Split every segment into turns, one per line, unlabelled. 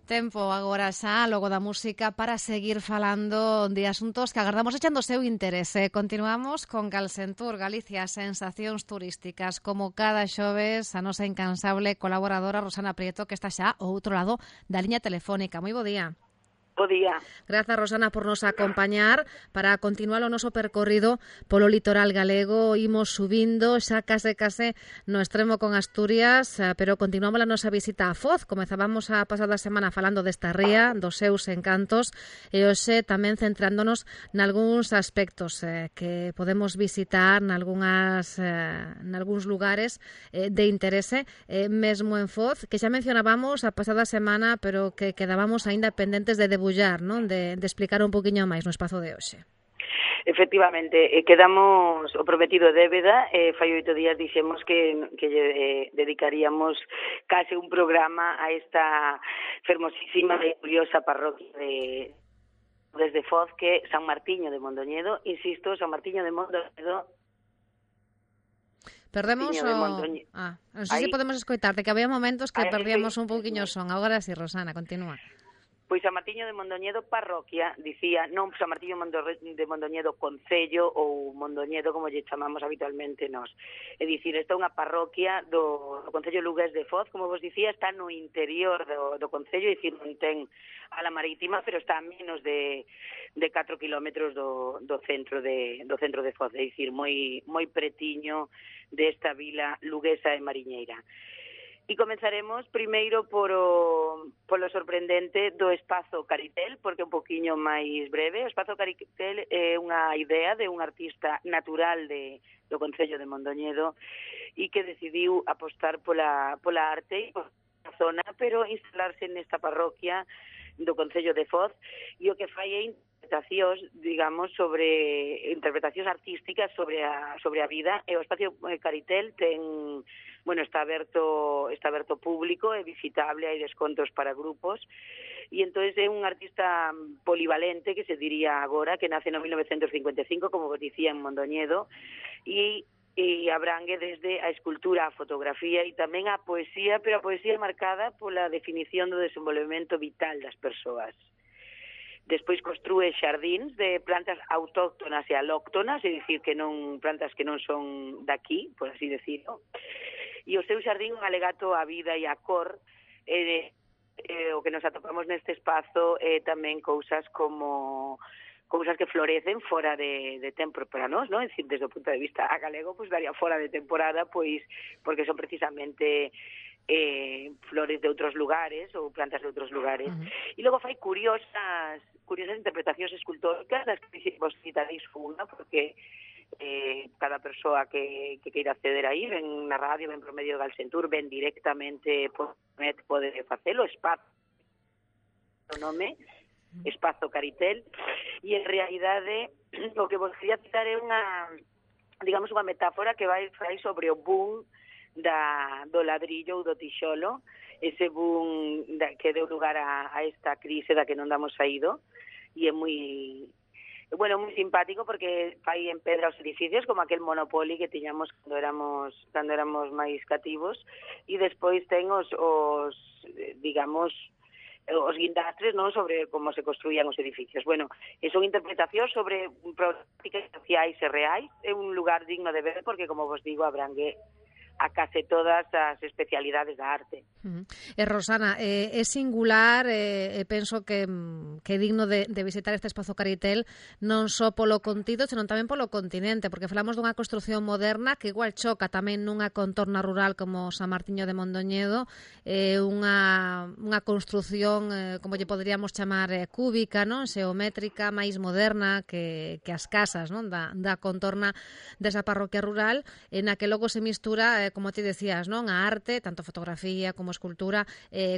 Tempo agora xa, logo da música, para seguir falando de asuntos que agardamos echando o seu interese. Continuamos con Galsentur, Galicia, sensacións turísticas. Como cada xoves, a nosa incansable colaboradora Rosana Prieto, que está xa ao outro lado da liña telefónica. Moi bo día.
Bo día.
Grazas, Rosana, por nos acompañar para continuar o noso percorrido polo litoral galego. Imos subindo xa case no extremo con Asturias, pero continuamos a nosa visita a Foz. Comezábamos a pasada semana falando desta ría, dos seus encantos, e hoxe tamén centrándonos nalgúns aspectos que podemos visitar nalgúns lugares de interese, mesmo en Foz, que xa mencionábamos a pasada semana, pero que quedábamos aínda pendentes de debullar, non? De explicar un poquinho máis no espazo de hoxe.
Efectivamente, quedamos o prometido débeda, fai 8 días dixemos que dedicaríamos case un programa a esta fermosísima e curiosa parroquia desde Foz, que San Martiño de Mondoñedo. Insisto, San Martiño de Mondoñedo.
Perdemos o... non sei se podemos escoitarte, que había momentos que perdíamos un pouquiño o son. Agora sí, Rosana, continúa.
Pois San Martiño de Mondoñedo parroquia, dicía, non San Martiño de Mondoñedo concello ou Mondoñedo como lle chamamos habitualmente nós. É dicir, esta é unha parroquia do concello lugués de Foz, como vos dicía, está no interior do concello, é dicir, non ten a la marítima, pero está a menos de 4 kilómetros do centro de Foz, é dicir, moi pretiño desta vila luguesa e mariñeira. E comenzaremos primeiro polo sorprendente do Espazo Caritel, porque é un poquinho máis breve. O Espazo Caritel é unha idea de un artista natural do concello de Mondoñedo e que decidiu apostar pola arte e pola zona, pero instalarse nesta parroquia do concello de Foz, e o que fai é interpretacións, digamos, interpretacións artísticas sobre a vida. E o Espazo Caritel está aberto público, é visitable, hai descontos para grupos, e entón é un artista polivalente, que se diría agora, que nace no 1955, como vos dicía, en Mondoñedo, e abrangue desde a escultura, a fotografía e tamén a poesía, pero a poesía marcada pola definición do desenvolvemento vital das persoas. Despois construe xardíns de plantas autóctonas e alóctonas, é dicir, que non plantas que non son daqui, por así decirlo. E o seu xardín un alegato á vida e á cor, o que nos atopamos neste espazo é tamén cousas que florecen fora de tempo para nós, non? É dicir, desde o punto de vista galego, pois daría fora de temporada, pois porque son precisamente flores de outros lugares ou plantas de outros lugares. E logo fai curiosas interpretacións escultóricas, das que vos citaréis unha, porque cada persoa que queira acceder aí, ven na radio, ven por medio de Galsentur, ven directamente por net, pode facelo, o nome Espazo Caritel, e en realidade o que vos quería citar é unha metáfora que vai sobre o boom do ladrillo ou do tixolo, ese boom que deu lugar a esta crise da que non damos saído, e é moi simpático porque fai en pedra os edificios, como aquel Monopoly que tiñamos cando éramos máis cativos, e despois ten os guindastres, non, sobre como se construían os edificios. Son interpretacións sobre problemáticas sociais e reais. É un lugar digno de ver porque, como vos digo, abrangue a case todas as especialidades da arte.
Rosana, é singular, penso que é digno de visitar este Espazo Caritel non só polo contido, senón tamén polo continente, porque falamos dunha construción moderna que igual choca tamén nunha contorna rural como San Martiño de Mondoñedo, unha construción, como lle poderíamos chamar, cúbica, non? Xeométrica, máis moderna que as casas, non? Da contorna desa parroquia rural, na que logo se mistura, como ti decías, non? A arte, tanto fotografía como escultura,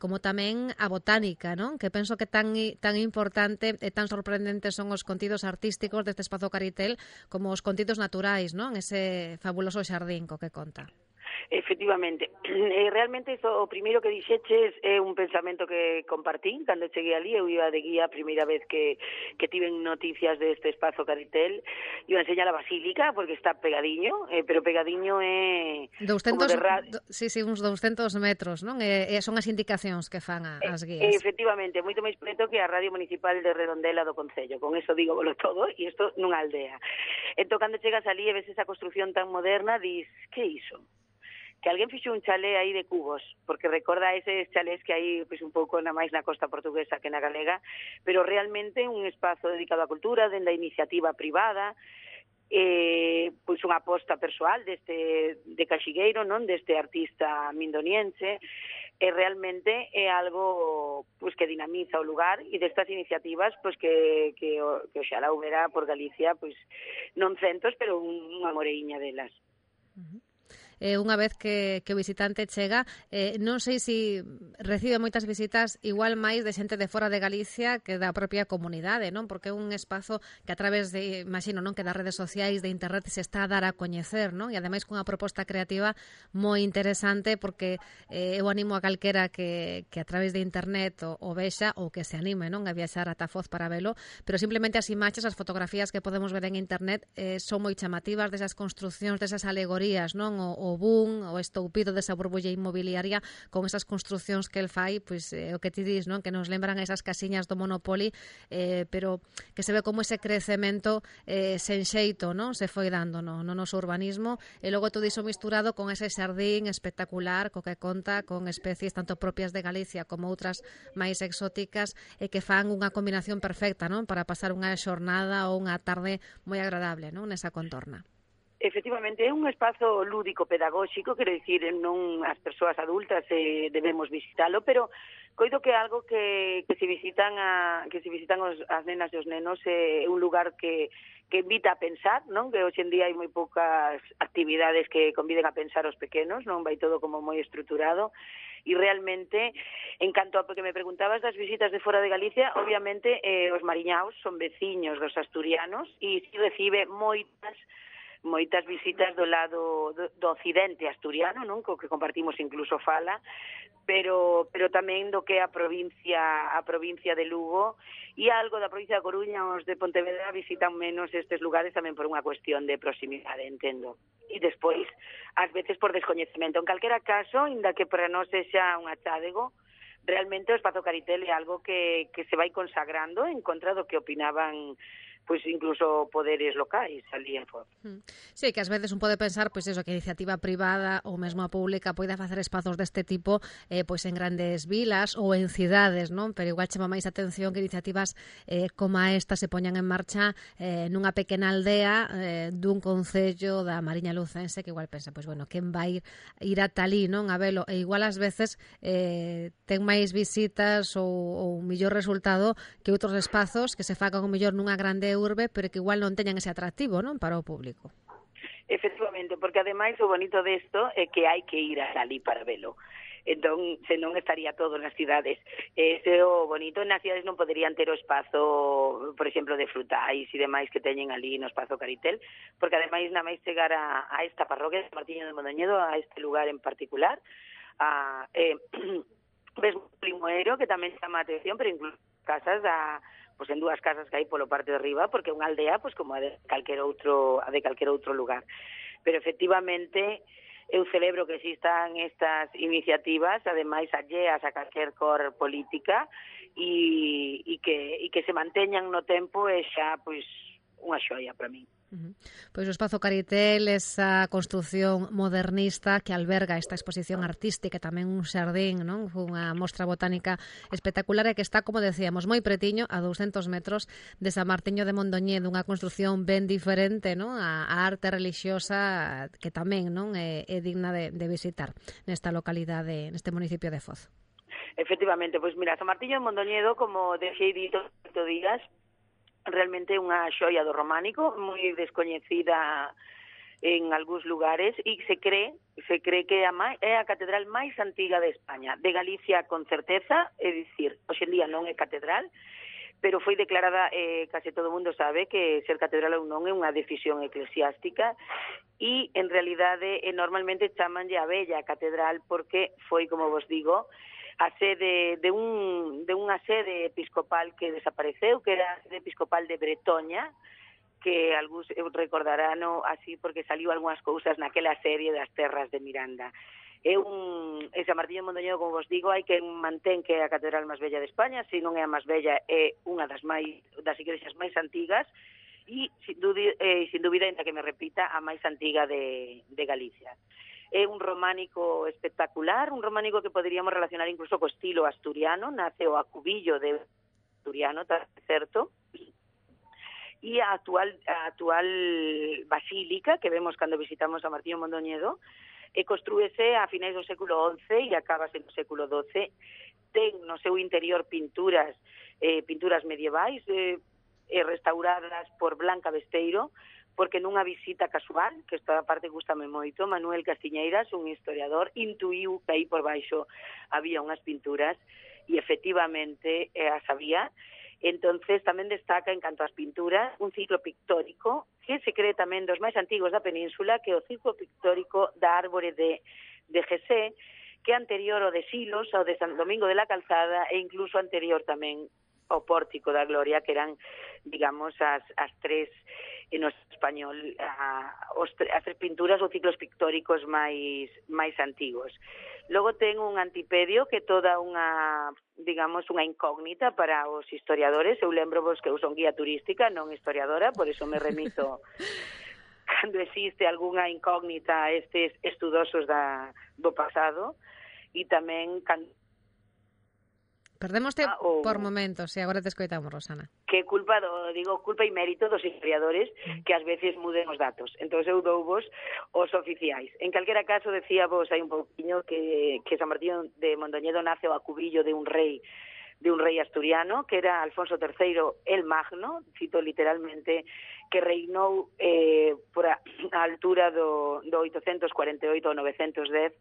como tamén a botánica, non? Que penso que tan importante e tan sorprendentes son os contidos artísticos deste Espazo Caritel como os contidos naturais, non? Ese fabuloso xardín co que conta.
Efectivamente. Realmente iso, o primeiro que dixeches é un pensamento que compartín cando cheguei ali. Eu iba de guía a primeira vez que tiven noticias deste espazo Caritel. Iba a enseñar a Basílica porque está pegadiño, pero pegadiño é
200,
como de radio.
sí, uns 200 metros, non? Son as indicacións que fan as guías.
Efectivamente, moito máis preto que a Radio Municipal de Redondela do Concello. Con eso digo volo todo, e isto nunha aldea. Entón, cando chegas ali e ves esa construción tan moderna, dis, que é iso? Que alguén fixo un chalé aí de cubos, porque recorda eses chalés que hai pois, un pouco na máis na costa portuguesa que na galega, pero realmente un espazo dedicado á cultura, dende a iniciativa privada, pois unha aposta persoal de Caxigueiro, non, deste artista mindoniense, e realmente é algo pois que dinamiza o lugar e destas iniciativas pois que oxalá houbera por Galicia pois non centos, pero unha moreiña delas.
Unha vez que o visitante chega, non sei se recibe moitas visitas igual máis de xente de fora de Galicia que da propia comunidade, non? Porque é un espazo que a través de, imagino, non, que das redes sociais, de internet se está a dar a coñecer, non? E ademais cunha proposta creativa moi interesante porque eu animo a calquera que a través de internet o vexa ou que se anime, non, a viaxar ata Foz para velo, pero simplemente as imaxes, as fotografías que podemos ver en internet son moi chamativas desas construcións, desas alegorías, non? O boom, o estoupido desa burbulla inmobiliaria con esas construcións que el fai, pois o que ti dis, non? Que nos lembran esas casiñas do Monopoly, pero que se ve como ese crecemento sen xeito, non? Se foi dando no noso urbanismo, e logo todo iso misturado con ese xardín espectacular co que conta con especies tanto propias de Galicia como outras máis exóticas e que fan unha combinación perfecta, non? Para pasar unha xornada ou unha tarde moi agradable, non? Nesa contorna.
Efectivamente, é un espazo lúdico pedagóxico, quero dicir, non as persoas adultas debemos visitalo, pero coido que é algo que se visitan as nenas e os nenos, é un lugar que invita a pensar, non? Que hoxe en día hai moi poucas actividades que conviden a pensar os pequenos, non? Vai todo como moi estruturado. E realmente, en canto a que me preguntabas das visitas de fora de Galicia, obviamente os mariñaos son veciños dos asturianos e si recibe moitas visitas do lado do occidente asturiano, non? Co que compartimos incluso fala, pero tamén do que é a provincia de Lugo e algo da provincia da Coruña. Os de Pontevedra visitan menos estes lugares tamén por unha cuestión de proximidade, entendo. E despois, ás veces por descoñecemento. En calquera caso, inda que para nós sexa un achádego, realmente o espazo Caritel é algo que se vai consagrando en contra do que opinaban pois incluso poderes locais ali en Foz.
Sí, que ás veces un pode pensar pois eso, que a iniciativa privada ou mesmo a pública poida facer espazos deste tipo pois en grandes vilas ou en cidades, non? Pero igual chama máis atención que iniciativas como esta se poñan en marcha nunha pequena aldea dun concello da Mariña Lucense, que igual pensa, pois bueno, quen vai ir ata ali, non? A velo, e igual ás veces ten máis visitas ou millor resultado que outros espazos que se fagan o mellor nunha grande urbe, pero que igual non teñan ese atractivo, non, para o público.
Efectivamente, porque ademais o bonito desto é que hai que ir ali para velo. Entón, senón estaría todo nas cidades. Ese o bonito, nas cidades non poderían ter o espazo, por exemplo, de frutais e demais que teñen ali no espazo Caritel, porque ademais na máis chegar a esta parroquia de Martiño de Mondoñedo, a este lugar en particular, ves un limoeiro que tamén chama a atención, pero incluso casas pois en dúas casas que hai polo parte de arriba, porque é unha aldea pois como a de calquer outro lugar. Pero efectivamente eu celebro que existan estas iniciativas, ademais alleas a calquer cor política e que se manteñan no tempo é xa pois unha xoia para min.
Pois o espazo Caritel, esa construción modernista que alberga esta exposición artística, tamén un xardín, non? Unha mostra botánica espectacular e que está, como decíamos, moi pretiño, a 200 metros de San Martiño de Mondoñedo, unha construción ben diferente, non? A arte relixiosa que tamén, non, é digna de visitar nesta localidade, neste municipio de Foz.
Efectivamente, pois mira, San Martiño de Mondoñedo, como deixei dito días, realmente unha xoia do románico, moi descoñecida en algúns lugares, e se cree que é a catedral máis antiga de España, de Galicia con certeza, é dicir, hoxe en día non é catedral, pero foi declarada, case todo o mundo sabe que ser catedral ou non é unha decisión eclesiástica, e en realidade normalmente chamanlle a Vella Catedral porque foi, como vos digo, a sede de unha sede episcopal que desapareceu, que era a sede episcopal de Bretoña, que algúns recordarán así porque saliu algunhas cousas naquela serie das terras de Miranda. San Martiño de Mondoñedo, como vos digo, hai que mantén que é a catedral máis bella de España, se non é a máis bella, é unha das igrexas máis antigas, e sin dúbida, ainda que me repita, a máis antiga de Galicia. É un románico espectacular, un románico que poderíamos relacionar incluso co estilo asturiano, nace o acubillo de asturiano, tá certo, e a actual basílica que vemos cando visitamos a Martiño de Mondoñedo construíse a finais do século XI e acabase no século XII. Ten no seu interior pinturas medievais, restauradas por Blanca Besteiro, porque nunha visita casual, que esta parte gustame moito, Manuel Castiñeiras, un historiador, intuiu que aí por baixo había unhas pinturas, e efectivamente as había. Entonces tamén destaca, en canto ás pinturas, un ciclo pictórico que se cree tamén dos máis antigos da península, que é o ciclo pictórico da Árbore de Gesé, que é anterior ao de Silos, ao de San Domingo de la Calzada, e incluso anterior tamén ao Pórtico da Gloria, que eran, digamos, as tres, en español, as tres pinturas ou ciclos pictóricos máis antigos. Logo ten un antipedio que é toda unha, digamos, unha incógnita para os historiadores. Eu lembro vos que eu son guía turística, non historiadora, por eso me remito cando existe algunha incógnita a estes estudosos do pasado, e tamén cando
Perdémoste por momentos, e agora te escoitamos, Rosana.
Que culpa e mérito dos historiadores que ás veces muden os datos. Entón eu douvos os oficiais. En calquera caso, decía vos hai un pouquiño que San Martiño de Mondoñedo nace o acubillo de un rei asturiano, que era Alfonso III el Magno, cito literalmente, que reinou por a altura do 848 ao 910,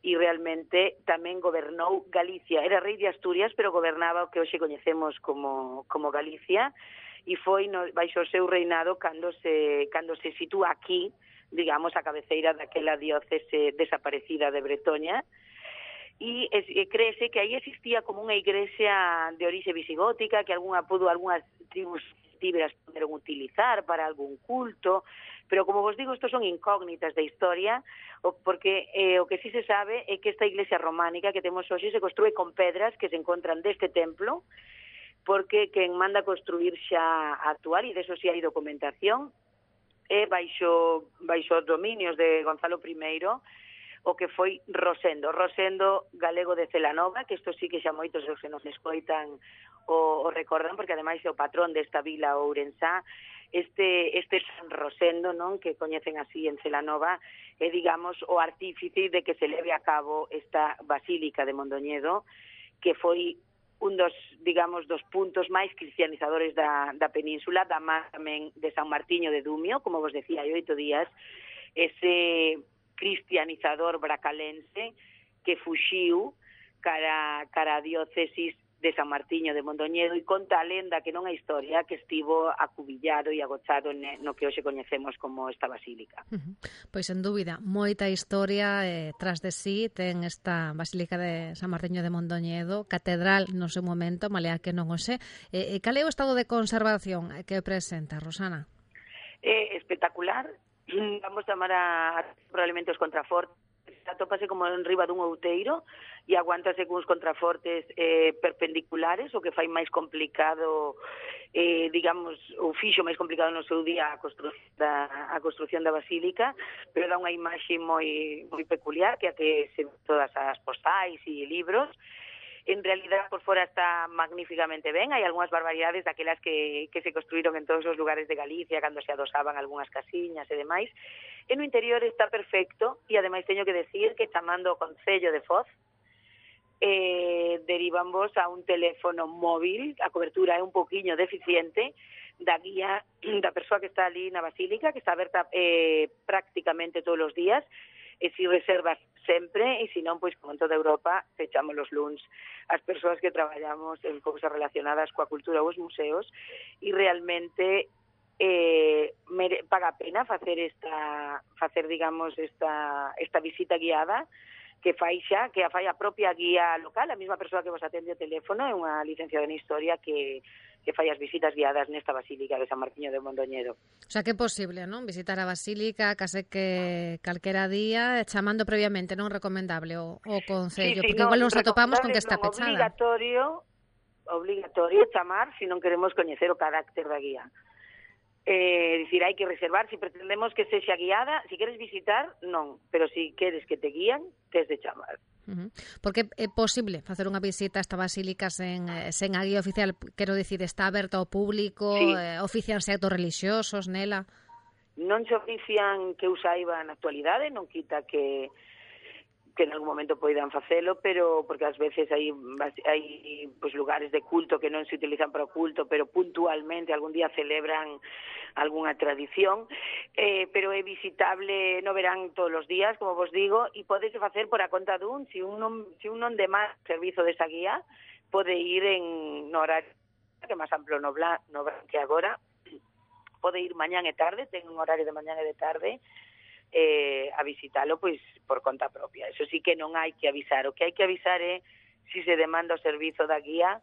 e realmente tamén gobernou Galicia. Era rei de Asturias, pero gobernaba o que hoxe coñecemos como Galicia, e foi baixo o seu reinado cando se sitúa aquí, digamos, a cabeceira daquela diócese desaparecida de Bretoña, e créese que aí existía como unha igrexa de orixe visigótica, que algunhas tribus tíberas poderon utilizar para algún culto, pero como vos digo, estos son incógnitas da historia, porque o que sí se sabe é que esta iglesia románica que temos hoxe se construe con pedras que se encontran deste templo, porque quen manda construir xa actual, e deso sí hai documentación, é baixo os dominios de Gonzalo I, o que foi Rosendo galego de Celanova, que isto sí que xa moitos dos que nos escoitan o recordan, porque ademais é o patrón desta vila ourensá. Este San Rosendo, non, que coñecen así en Celanova, é, digamos, o artífice de que se leve a cabo esta Basílica de Mondoñedo, que foi un dos, digamos, dos puntos máis cristianizadores da península, da má tamén de San Martiño de Dumio, como vos decía, hai 8 días, ese cristianizador bracalense que fuxiu cara a diócesis de San Martiño de Mondoñedo, e conta a lenda que non é historia, que estivo acubillado e agochado no que hoxe coñecemos como esta basílica.
Pois, sen dúbida, moita historia tras de sí ten esta Basílica de San Martiño de Mondoñedo, catedral no seu momento, malea que non o sé. Cal é o estado de conservación que presenta, Rosana?
Espectacular. Vamos chamar probablemente os contrafortes. Atópase como en riba dun outeiro e aguántase cuns contrafortes perpendiculares, o que fai máis complicado, digamos, o fixo máis complicado no seu día a construción da basílica, pero dá unha imaxe moi peculiar, que a que se todas as postais e libros. En realidad, por fora está magníficamente ben. Hai algunhas barbaridades daquelas que se construíron en todos os lugares de Galicia cando se adosaban algunhas casiñas e demais. E no interior está perfecto, e ademais teño que decir que chamando o Concello de Foz, derivan vos a un teléfono móvil, a cobertura é un poquinho deficiente, da guía da persoa que está ali na Basílica, que está aberta prácticamente todos os días, e si reservas sempre, e se non, pois como en toda Europa, fechamos los luns as persoas que traballamos en cousas relacionadas coa cultura ou os museos, e realmente paga a pena facer digamos esta visita guiada que a fai a propia guía local, a mesma persoa que vos atende o teléfono, é unha licenciada en Historia que fai as visitas guiadas nesta Basílica de San Martiño de Mondoñedo.
O sea, que é posible, non? Visitar a Basílica, case que calquera día, chamando previamente, non recomendable o Concello,
Sí,
porque igual nos atopamos con que está pechada.
Obligatorio chamar se non queremos coñecer o carácter da guía. Dicir, hai que reservar, se pretendemos que sexa guiada, se queres visitar, non, pero se queres que te guían, tes de chamar.
Porque é posible facer unha visita a esta basílica sen a guía oficial, quero dicir, está aberta ao público,
Sí.
Ofician actos religiosos nela?
Non se ofician que eu saiba na actualidade, non quita que en algún momento poidan facelo, pero porque ás veces hai pues, lugares de culto que non se utilizan para o culto, pero puntualmente algún día celebran algunha tradición, pero é visitable no verán todos os días, como vos digo, e podese facer por a conta dun, se un non demanda servizo desa guía, pode ir no horario que é máis amplo no Blan que agora, pode ir mañán e tarde, ten un horario de mañán e de tarde, a visitalo pois por conta propia. Eso sí que non hai que avisar. O que hai que avisar é se se demanda o servizo da guía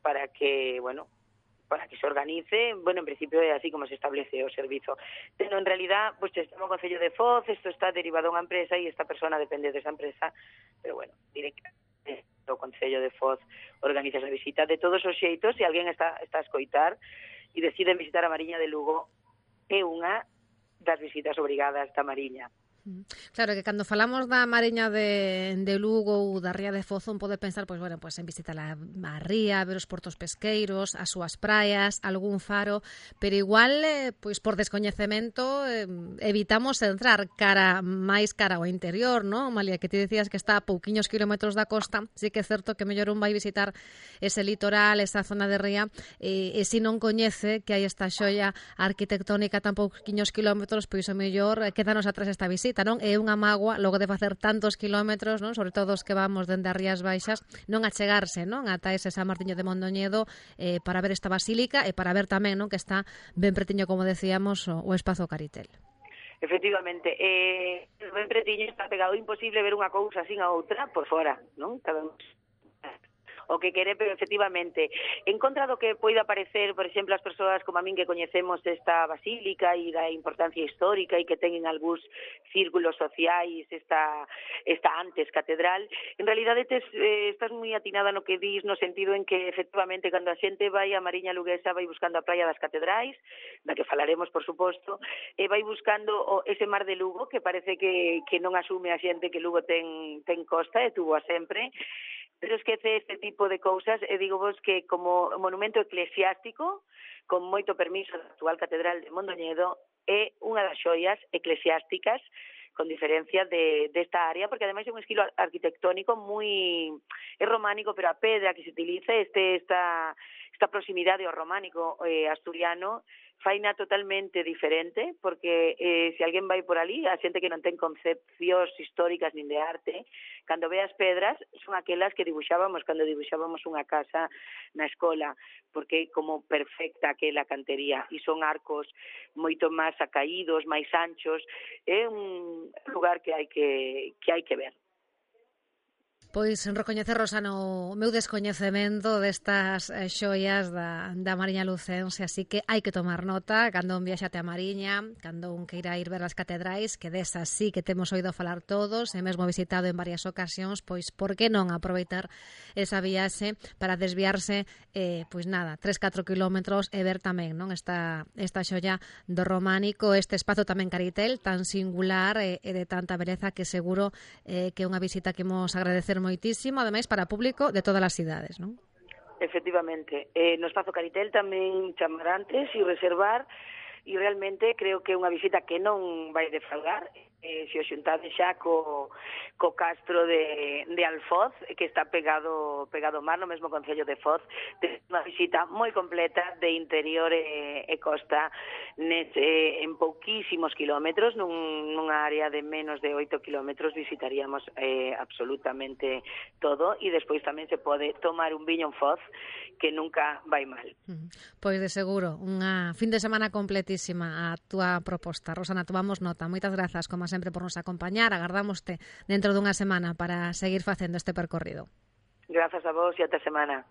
para que se organice. Bueno, en principio é así como se establece o servizo. Pero en realidad, pues estamos no Concello de Foz, isto está derivado a unha empresa e esta persona depende desa empresa, pero bueno, directamente o Concello de Foz organiza esa visita. De todos os xeitos, se alguén está a escoitar e decide visitar a Mariña de Lugo, é unha das visitas obrigadas da Mariña.
Claro, que cando falamos da Mariña de Lugo ou da Ría de Foz, pode pensar pois en visitar a ría, ver os portos pesqueiros, as súas praias, algún faro, pero igual, pois por descoñecemento, evitamos entrar máis cara ao interior, non? Malia, que ti decías que está a pouquiños kilómetros da costa, sí que é certo que mellor un vai visitar ese litoral, esa zona de ría, e se non coñece que hai esta xoia arquitectónica tan pouquiños kilómetros, pois o mellor quédanos atrás esta visita, non? É unha mágoa logo de facer tantos kilómetros, non? Sobre todo os que vamos dende as Rías Baixas, non achegarse, non? Ata ese San Martiño de Mondoñedo para ver esta basílica e para ver tamén, non? Que está ben pretiño, como decíamos, o espazo Caritel.
Efectivamente, ben pretiño, está pegado, imposible ver unha cousa sin a outra por fora, non? Cada un o que quere, pero efectivamente, en contra do que poida parecer, por exemplo, as persoas como a min que coñecemos esta basílica e da importancia histórica e que teñen algúns círculos sociais esta antes catedral, en realidade estás moi atinada no que dis, no sentido en que efectivamente cando a xente vai a Mariña Luguesa vai buscando a praia das catedrais, da que falaremos por suposto, e vai buscando ese mar de Lugo que parece que non asume a xente que Lugo ten costa e tuvo a sempre, pero esquece este tipo de cousas e digo vos que como monumento eclesiástico, con moito permiso da actual Catedral de Mondoñedo, é unha das xoias eclesiásticas con diferencia desta área, porque ademais é un estilo arquitectónico é románico, pero a pedra que se utiliza esta proximidade ao románico asturiano faina totalmente diferente, porque se alguén vai por ali, a xente que non ten concepcións históricas nin de arte, cando ve as pedras, son aquelas que dibuixábamos cando dibuixábamos unha casa na escola, porque é como perfecta aquela cantería, e son arcos moito máis acaídos, máis anchos, é un lugar que hai que ver.
Pois recoñecer, Rosano, o meu descoñecemento destas xoias da Mariña Lucense, así que hai que tomar nota cando un viaxate a Mariña, cando un queira ir ver as catedrais, que desas sí que temos oído falar todos, e mesmo visitado en varias ocasións, pois por que non aproveitar esa viaxe para desviarse, 3-4 kilómetros e ver tamén, non, esta xoia do románico, este espazo tamén Caritel, tan singular e de tanta beleza que seguro que é unha visita que imos agradecer moitísimo, ademais para público de todas as cidades, non?
Efectivamente, no espazo Caritel tamén chamar antes e reservar, e realmente creo que é unha visita que non vai defraudar, se o xuntade xa co castro de Alfoz, que está pegado ao mar, no mesmo concello de Foz. Unha visita moi completa de interior e costa en pouquísimos kilómetros, nunha área de menos de 8 kilómetros visitaríamos absolutamente todo, e despois tamén se pode tomar un viño en Foz que nunca vai mal.
Pois de seguro, unha fin de semana completísima a túa proposta. Rosana, tomamos nota. Moitas grazas, como sempre, por nos acompañar. Agardámoste dentro dunha semana para seguir facendo este percorrido.
Grazas a vos e ata semana.